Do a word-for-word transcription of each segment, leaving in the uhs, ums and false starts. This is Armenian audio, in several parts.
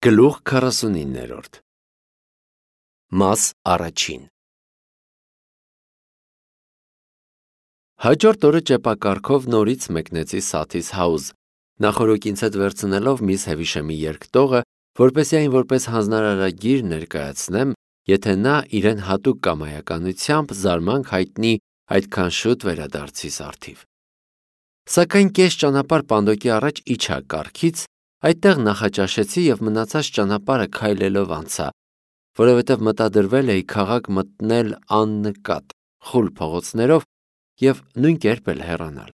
Գլուխ քառասունիններորդ Մաս առաջին Հաջորդ օրը ճեպակառքով նորից մեկնեցի Սաթիս Հաուզ, նախօրոք ինձ հետ վերցնելով միս Հևիշեմի երգտողը, որպեսզի այն որպես հանձնարարագիր ներկայացնեմ, եթե նա իրեն հատուկ կամայականությամբ զարմանք հայտնի այդքան շուտ վերադարձիս առթիվ։ Սակայն կես ճանապարհ պանդոկի առաջ իջա կառքից, այդտեղ նախաճաշեցի և մնացած ճանապարհը քայլելով անցա, որովհետև մտադրվել էի քաղաք մտնել աննկատ, խուլ փողոցներով և նույն կերպ էլ հեռանալ։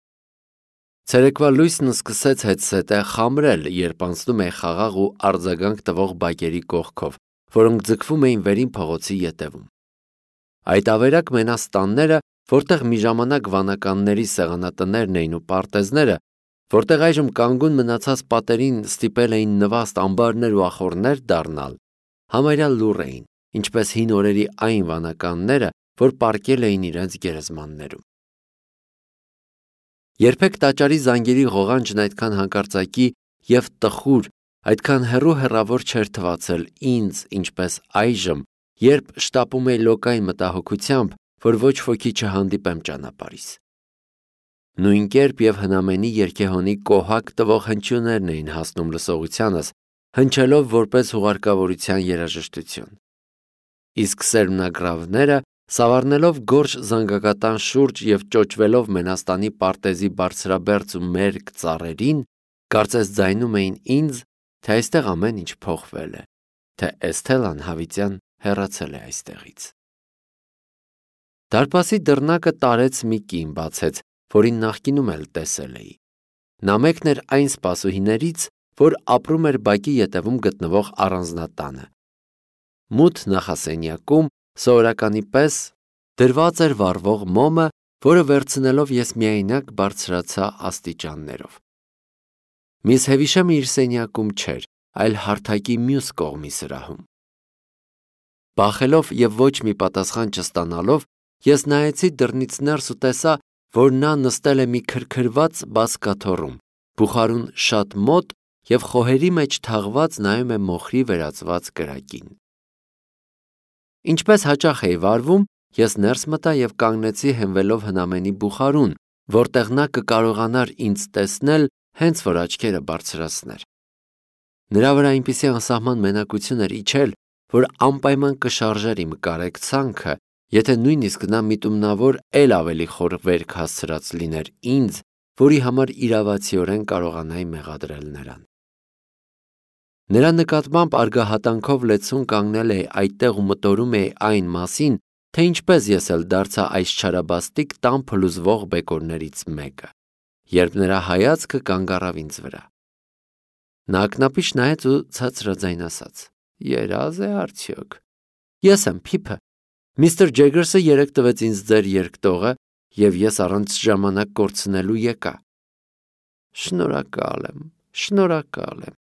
Ցերեկվա լույսն սկսեց հետզհետե խամրել, երբ անցնում էի խաղաղ ու արձագանք տվող բակերի կողքով, որոնք ձգվում էին վերին փողոցի ետևում։ Այդ ավերակ մենաստանները, որտեղ մի ժամանակ վանականների սեղանատներն էին ու պարտեզները, որտեղ այժմ կանգուն մնացած պատերին ստիպել էին նվաստ ամբարներ ու ախոռներ դառնալ, համարյա լուռ էին, ինչպես հին օրերի այն վանականները, որ պառկել էին իրենց գերեզմաններում։ Երբեք տաճարի զանգերի ղողանջն այդքան հանկարծակի և տխուր, այդքան հեռու հեռավոր չէր թվացել ինձ, ինչպես այժմ, երբ շտապում էի լոկային մտահոգությամբ, որ ոչ ոքի չհանդիպեմ ճանապարհիս։ Նույն կերպ և հնամենի երգեհոնի կոհակ տվող հնչյուններն էին հասնում լսողությանս, հնչելով որպես հուղարկավորության երաժշտություն։ Իսկ սերմնագրավները, սավառնելով գորշ զանգակատան շուրջ և ճոճվելով մենաստանի պարտեզի բարձրաբերձ ու մերկ ծառերին, կարծես ձայնում էին ինձ, թե այստեղ ամեն ինչ փոխվել է, թե Էսթելան հավիտյան հեռացել է այստեղից։ Դարպասի դռնակը տարեց մի կին բացեց, որին նախկինում էլ տեսել էի։ Նա մեկն էր այն սպասուհիներից, որ ապրում էր բակի ետևում գտնվող առանձնատանը։ Մութ նախասենյակում սովորականի պես դրված էր վառվող մոմը, որը վերցնելով ես միայնակ բարձրացա աստիճաններով։ Միս Հևիշեմը իր սենյակում չէր, այլ հարթակի մյուս կողմի սրահում։ Բախելով և ոչ մի պատասխան չստանալով, ես նայեցի դռնից ներս ու տեսա, որ նա նստել է մի քրքրված բազկաթոռում, բուխարուն շատ մոտ և խոհերի մեջ թաղված նայում է մոխրի վերածված կրակին։ Ինչպես հաճախ էի վարվում, ես ներս մտա և կանգնեցի հենվելով հնամենի բուխարուն, որտեղ նա կկարողանար ինձ տեսնել, հենց որ աչքերը բարձրացներ։ Նրա վրա այնպիսի անսահման մենակություն էր իջել, որ անպայման կշարժեր իմ կարեկցանքը, եթե նույնիսկ նա միտումնավոր էլ ավելի խոր վերք հասցրած լիներ ինձ, որի համար իրավացիորեն կարողանայի մեղադրել նրան։ Նրա նկատմամբ արգահատանքով լեցուն կանգնել էի այդտեղ ու մտորում էի այն մասին, թե ինչպես ես էլ դարձա այս չարաբաստիկ տան փլուզվող բեկորներից մեկը, երբ նրա հայացքը կանգ առավ ինձ վրա։ Նա ակնապիշ նայեց ու ցածրաձայն ասաց. «Երազ է արդյոք»։ Ես եմ Փիփը։ Միստր Ջեգերսը երեկ տվեց ինձ ձեր երգտողը, և ես առանց ժամանակ կորցնելու եկա։ Շնորհակալ եմ, շնորհակալ եմ։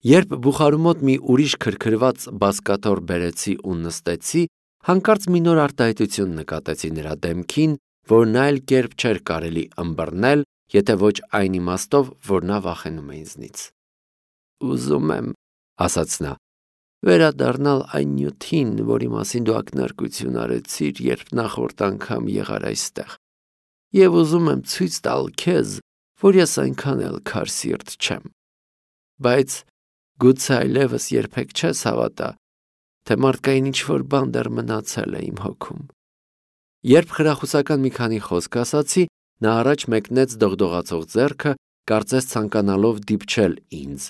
Երբ բուխարու մոտ մի ուրիշ քրքրված բազկաթոռ բերեցի ու նստեցի, հանկարծ մի նոր արտահայտություն նկատեցի նրա դեմքին, որն այլ կերպ չէր կարելի ըմբռնել, եթե ոչ այն իմաստով, որ նա վախենում է ինձնից։ Ուզում եմ, ասաց նա, վերադառնալ այն նյութին, որի մասին դու ակնարկություն արեցիր, երբ նախորդ անգամ եղար այստեղ, և ուզում եմ ցույց տալ քեզ, որ ես այնքան էլ քարսիրտ չեմ, բայց գուցե այլևս երբեք չես հավատա, թե մարդկային ինչ-որ բան դեռ մնացել է իմ հոգում։ Երբ խրախուսական մի քանի խոսք ասացի, նա առաջ մեկնեց դողդողացող ձեռքը, կարծես ցանկանալով դիպչել ինձ,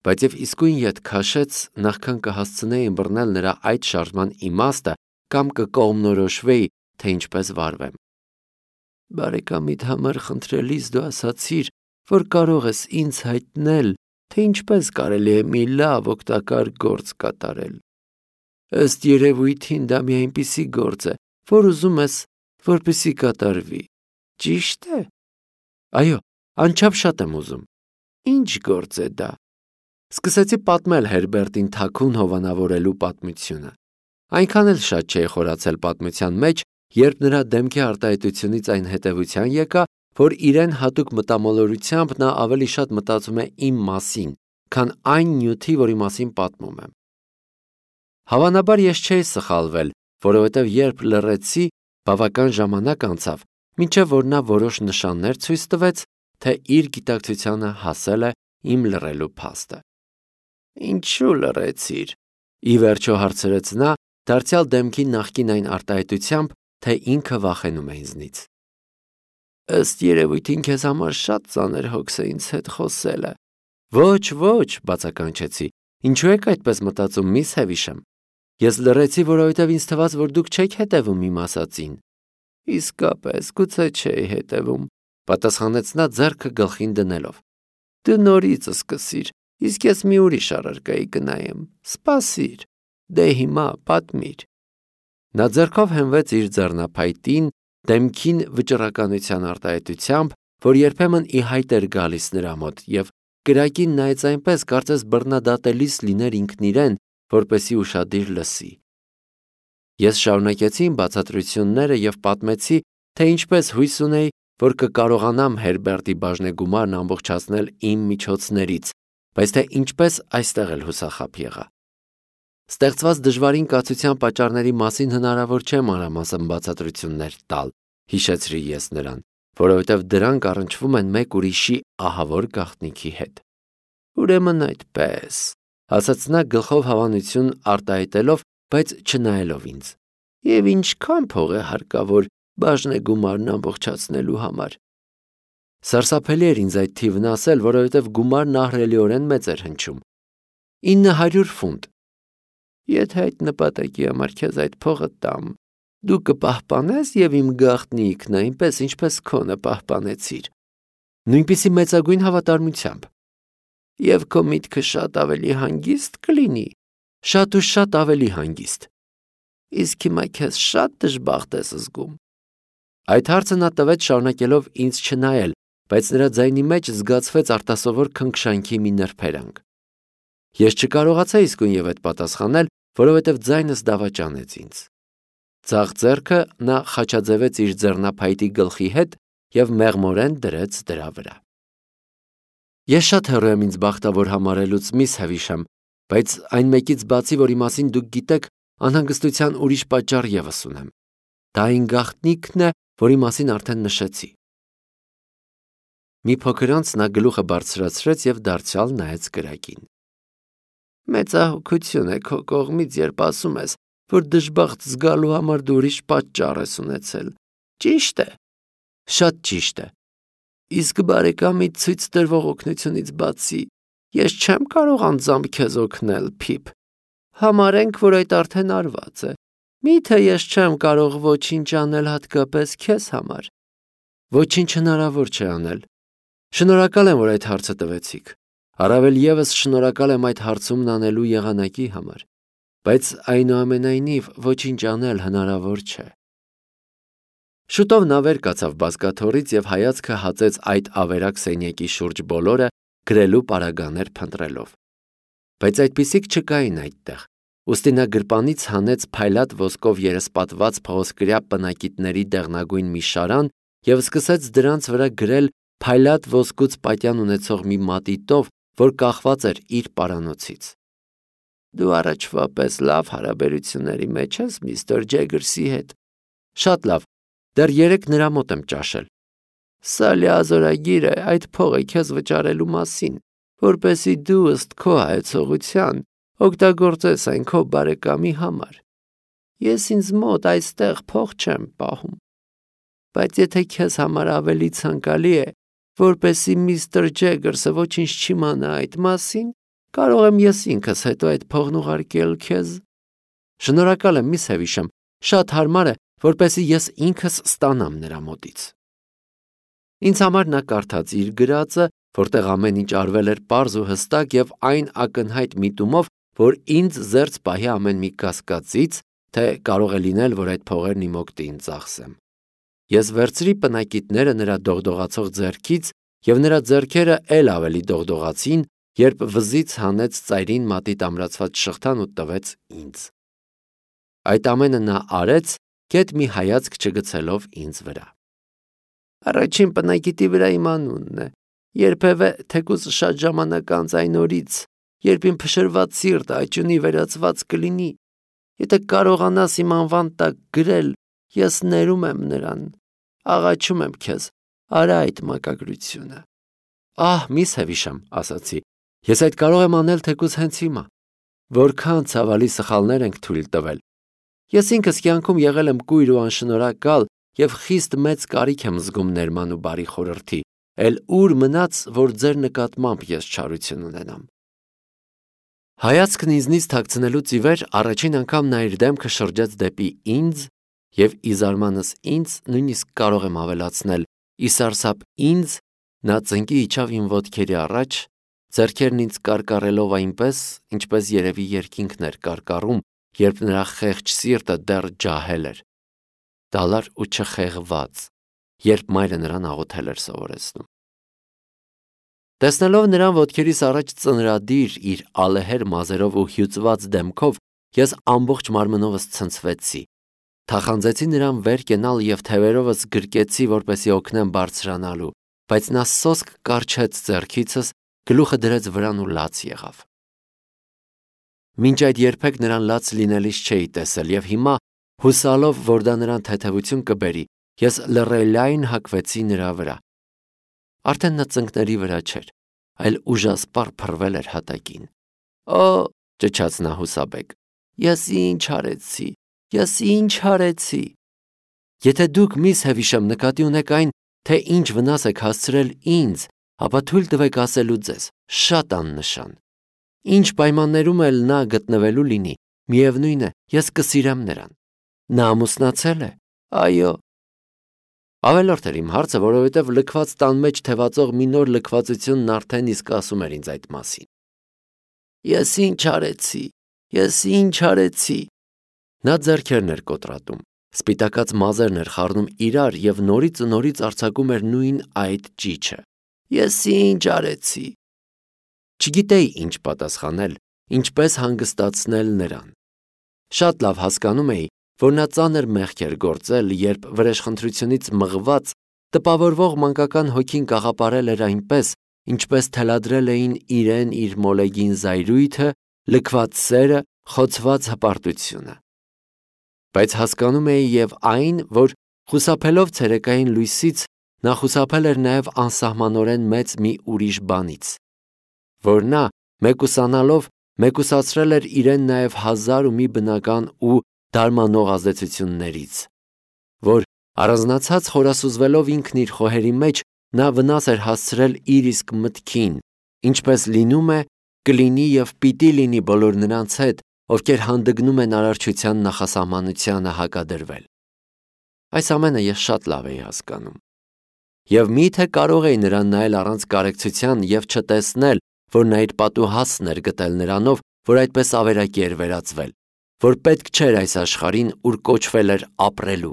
բայց և իսկույն ետ քաշեց, նախքան կհասցնեի ըմբռնել նրա այդ շարժման իմաստը կամ կկողմնորոշվեի, թե ինչպես վարվեմ։ Բարեկամիդ համար խնդրելիս դու ասացիր, որ կարող ես ինձ հայտնել, թե ինչպես կարելի է մի լավ օգտակար գործ կատարել։ Ըստ երևույթին դա մի այնպիսի գործ է, որ ուզում ես, որպեսզի կատարվի, ճի՞շտ է։ Այո, անչափ շատ եմ ուզում։ Ինչ գործ է դա։ Սկսեցի պատմել Հերբերտին թաքուն հովանավորելու պատմությունը։ Այնքան էլ շատ չէի խորացել պատմության մեջ, երբ նրա դեմքի արտահայտությունից այն հետևության եկա, որ իրեն հատուկ մտամոլորությամբ նա ավելի շատ մտածում է իմ մասին, քան այն նյութի, որի մասին պատմում եմ։ Հավանաբար ես չէի սխալվել, որովհետև երբ լռեցի, բավական ժամանակ անցավ, մինչև որ նա որոշ նշաններ ցույց տվեց, թե իր գիտակցությանը հասել է իմ լռելու փաստը։ Ինչու լռեցիր։ Ի վերջո հարցրեց նա, դարձյալ դեմքի նախկին այն արտահայտությամբ, թե ինքը վախենում է ինձնից։ Ըստ երևույթին քեզ համար շատ ծանր հոգս է ինձ հետ խոսելը։ Ոչ, ոչ, բացականչեցի, ինչու եք այդպես մտածում, միս Հևիշամ։ Ես լռեցի, որովհետև ինձ թվաց, որ դուք չեք հետևում իմ ասածին։ Իսկապես, գուցե չէի հետևում, պատասխանեց նա ձեռքը գլխին դնելով։ Դու նորից սկսիր, իսկ ես մի ուրիշ առարկայի կնայեմ։ Սպասիր, դե հիմա պատմիր։ Նա ձեռքով հենվեց իր ձեռնափայտին, դեմքին վճռականության արտահայտությամբ, որ երբեմն ի հայտ էր գալիս նրա մոտ, եւ կրակին նայեց այնպես, կարծես բռնադատելիս լիներ ինքն իրեն, որպեսի ուշադիր լսի։ Ես շարունակեցի իմ բացատրությունները եւ պատմեցի, թե ինչպես հույս ունեի, որ կկարողանամ Հերբերտի բաժնեգումարն ամբողջացնել իմ միջոցներից, բայց թե ինչպես այստեղ էլ հուսախաբ եղա։ Ստեղծված դժվարին կացության պատճառների մասին հնարավոր չէ մանրամասն բացատրություններ տալ, հիշեցրի ես նրան, որովհետև դրանք առնչվում են մեկ ուրիշի ահավոր գաղտնիքի հետ։ Ուրեմն այդպես, ասաց նա գլխով հավանություն արտահայտելով, բայց չնայելով ինձ։ Եվ ինչքան փող է հարկավոր բաժնեգումարն ամբողջացնելու համար։ Սարսափելի էր ինձ այդ թիվն ասել, որովհետև գումարն ահռելիորեն մեծ էր հնչում։ ինը հարյուր ֆունտ։ Եթե այդ նպատակի համար քեզ այդ փողը տամ, դու կպահպանես եւ իմ գաղտնիքն այնպես, ինչպես քոնը պահպանեցիր։ Նույնպիսի մեծագույն հավատարմությամբ։ Եվ քո միտքը շատ ավելի հանգիստ կլինի, շատ ու շատ ավելի հանգիստ։ Իսկ հիմա քեզ շատ դժբախտ ես զգում։ Այդ հարցը նա տվեց շարունակելով ինձ չնայել, բայց նրա ձայնի մեջ զգացվեց արտասովոր քնքշանքի մի նրբերանգ։ Ես չկարողացա իսկույն եւ այդ պատասխանել, որովհետև ձայնս դավաճանեց ինձ։ Ձախ ձեռքը նա խաչաձևեց իր ձեռնափայտի գլխի հետ եւ մեղմորեն դրեց դրա վրա։ Ես շատ հեռու եմ ինձ բախտավոր համարելուց, միս Հևիշամ, բայց այն մեկից բացի, որի մասին դուք գիտեք, անհանգստության ուրիշ պատճառ եւս ունեմ։ Դա այն գաղտնիքն է, որի մասին արդեն նշեցի։ Մի փոքր անց նա գլուխը բարձրացրեց եւ դարձյալ նայեց կրակին։ Մեծահոգություն է քո կողմից, երբ ասում ես, որ դժբախտ զգալու համար դու ուրիշ պատճառ ես ունեցել։ Ճիշտ է։ Շատ ճիշտ է։ Իսկ բարեկամի ցույց տրվող օգնությունից բացի, ես չեմ կարող անձամբ քեզ օգնել, Փիփ։ Համարենք, որ այդ արդեն արված է։ Միթե ես չեմ կարող ոչինչ անել հատկապես քեզ համար։ Ոչինչ հնարավոր չէ անել։ Շնորհակալ եմ, որ այդ հարցը տվեցիք։ Առավել եւս շնորհակալ եմ այդ հարցումն անելու եղանակի համար, բայց այնուամենայնիվ ոչինչ անել հնարավոր չէ։ Շուտով նա վեր կացավ բազկաթոռից եւ հայացքը հացեց այդ ավերակ սենյակի շուրջ բոլորը, գրելու պարագաներ փնտրելով։ Բայց այդպիսիք չկային այդտեղ, ուստի նա գրպանից հանեց փայլատ ոսկով երեսպատված փղոսկրյա պնակիտների դեղնագույն մի շարան եւ սկսեց դրանց վրա գրել փայլատ ոսկուց պատյան ունեցող մի մատիտով, որ կախված էր իր պարանոցից։ Դու առաջվա պես լավ հարաբերությունների մեջ ես միստր Ջեգերսի հետ։ Շատ լավ, դեռ երեք նրա մոտ եմ ճաշել։ Սա լիազորագիր է այդ փողը քեզ վճարելու մասին, որպեսզի դու ըստ քո հայեցողության օգտագործես այն քո բարեկամի համար։ Ես ինձ մոտ այստեղ փող չեմ պահում։ Բայց եթե քեզ համար ավելի ցանկալի է, որպեսզի միստր Ջեգերսը ոչինչ չիմանա այդ մասին, կարող եմ ես ինքս հետո այդ փողն ուղարկել քեզ։ Շնորհակալ եմ, միս Հևիշամ, շատ հարմար է, որպեսզի ես ինքս ստանամ նրա մոտից։ Ինձ համար նա կարդաց իր գրածը, որտեղ ամեն ինչ արվել էր պարզ ու հստակ եւ այն ակնհայտ միտումով, որ ինձ զերծ պահի ամեն մի կասկածից, թե կարող է լինել, որ այդ փողերն իմ օգտին ծախսեմ։ Ես վերցրի պնակիտները նրա դողդողացող ձեռքից եւ նրա ձեռքերը ել ավելի դողդողացին, երբ վզից հանեց ծայրին մատիտ ամրացված շղթան ու տվեց ինձ։ Այդ ամենը նա արեց, գեթ մի հայացք չգցելով ինձ վրա։ Առաջին պնակիտի վրա իմ անունն է։ Երբևէ թեկուզ շատ ժամանակ անց այն օրից, երբ իմ փշրված սիրտը աճյունի վերածված կլինի, եթե կարողանաս իմ անվան տակ գրել, ես ներում եմ նրան, աղաչում եմ քեզ, արա այդ մակագրությունը։ Ահ, միս Հևիշամ, ասացի, ես այդ կարող եմ անել թեկուզ հենց հիմա։ Որքան ցավալի սխալներ ենք թույլ տվել։ Ես ինքս կյանքում եղել եմ կույր ու անշնորհակալ և խիստ մեծ կարիք եմ զգում ներման ու բարի խորհրդի, էլ ուր մնաց, որ ձեր նկատմամբ ես չարություն ունենամ։ Հայացքն ինձնից թաքցնելուց ի վեր առաջին անգամ նա իր դեմքը շրջեց դեպի ինձ և ի զարմանս ինձ, նույնիսկ կարող եմ ավելացնել, ի սարսափ ինձ, նա ծնկի իջավ իմ ոտքերի առաջ, ձեռքերն ինձ կարկառելով այնպես, ինչպես երևի երկինքն էր կարկառում, երբ նրա խեղճ սիրտը դեռ ջահել էր, դալար ու չխեղված, երբ մայրը նրան աղոթել էր սովորեցնում։ Տեսնելով նրան ոտքերիս առաջ ծնրադիր իր ալեհեր մազերով ու հյուծված դեմքով, ես ամբողջ մարմնովս ցնցվեցի, թախանձեցի նրան վեր կենալ և թևերովս գրկեցի, որպեսզի օգնեմ բարձրանալու, բայց նա սոսկ կառչեց ձեռքիցս, գլուխը դրեց վրան ու լաց եղավ։ Մինչ այդ երբեք նրան լաց լինելիս չէի տեսել և հիմա, հուսալով, որ դա նրան թեթևություն կբերի, ես լռելային հագվեցի նրա վրա։ Արդեն նա ծնկների վրա չէր, այլ ուժասպառ փռվել էր հատակին։ Օ, ճչաց նա հուսաբեկ, ես ինչ արեցի, ես ինչ արեցի։ Եթե դուք, միս Հևիշամ, նկատի ունեք այն, թե ինչ վնաս եք հասցրել ինձ, ապա թույլ տվեք ասելու ձեզ, շատ աննշան։ Ինչ պայմաններում էլ նա գտնվելու լինի, միևնույն է, ես կսիրեմ նրան։ Նա ամուսնացել է։ Այո։ Ավելորդ էր իմ հարցը, որովհետև լքված տան մեջ թևածող մի նոր լքվածությունն արդեն իսկ ասում էր ինձ այդ մասին։ Ես ինչ արեցի, ես ինչ արեցի։ Նա ձեռքերն էր կոտրատում, սպիտակած մազերն էր խառնում իրար և նորից ու նորից արձակում էր նույն այդ ճիչը։ Ես ինչ արեցի։ Չգիտեի ինչ պատասխանել, ինչպես հանգստացնել նրան։ Շատ լավ հասկանում էի, որ նա ծանր մեղք էր գործել, երբ վրեժխնդրությունից մղված տպավորվող մանկական հոգին կաղապարել էր այնպես, ինչպես թելադրել էին իրեն իր մոլեգին զայրույթը, լքված սերը, խոցված հպարտությունը։ Բայց հասկանում էի և այն, որ խուսափելով ցերեկային լույսից, նա խուսափել էր նաև անսահմանորեն մեծ մի ուրիշ բանից, որ նա, մեկուսանալով, մեկուսացրել էր իրեն նաև հազար ու մի բնական ու դարմանող ազդեցություններից, որ առանձնացած խորասուզվելով ինքն իր խոհերի մեջ, նա վնաս էր հասցրել իր իսկ մտքին, ինչպես լինում է, կլինի և պիտի լինի բոլոր նրանց հետ, ովքեր հանդգնում են արարչության նախասահմանությանը հակադրվել։ Այս ամենը ես շատ լավ էի հասկանում։ Եվ միթե կարող էի նրան նայել առանց կարեկցության և չտեսնել, որ նա իր պատուհասն էր գտել նրանով, որ այդպես ավերակի էր վերածվել, որ պետք չէր այս աշխարհին, ուր կոչվել էր ապրելու,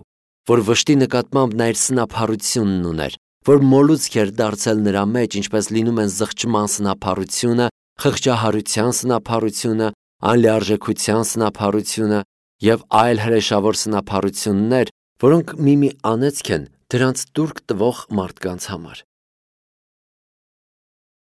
որ վշտի նկատմամբ նա իր սնափառությունն ուներ, որ մոլուցք էր դարձել նրա մեջ, ինչպես լինում են զղջման սնափառությունը, խղճահարության սնափառությունը, անլիարժեքության սնափառությունը և այլ հրեշավոր սնափառություններ, որոնք մի-մի անեծք են դրանց տուրք տվող մարդկանց համար։